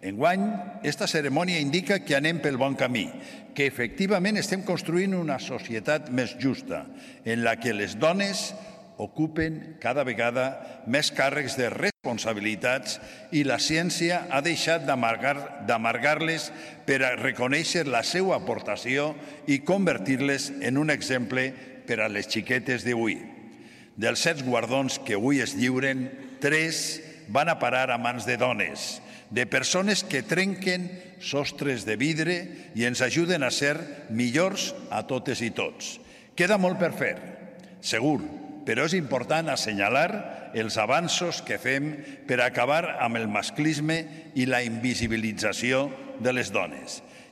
Enguany, esta cerimònia indica que anem pel bon camí, que efectivament estem construint una societat més justa, en la que les dones ocupen cada vegada més càrrecs de responsabilitats i la ciència ha deixat d'amargar-les per a reconèixer la seva aportació i convertir-les en un exemple per a les xiquetes d'avui. Dels 7 guardons que avui es lliuren, 3 van a parar a mans de dones, de persones que trenquen sostres de vidre i ens ajuden a ser millors a totes i tots. Queda molt per fer, segur, però és important assenyalar els avanços que fem per acabar amb el masclisme i la invisibilització de les dones.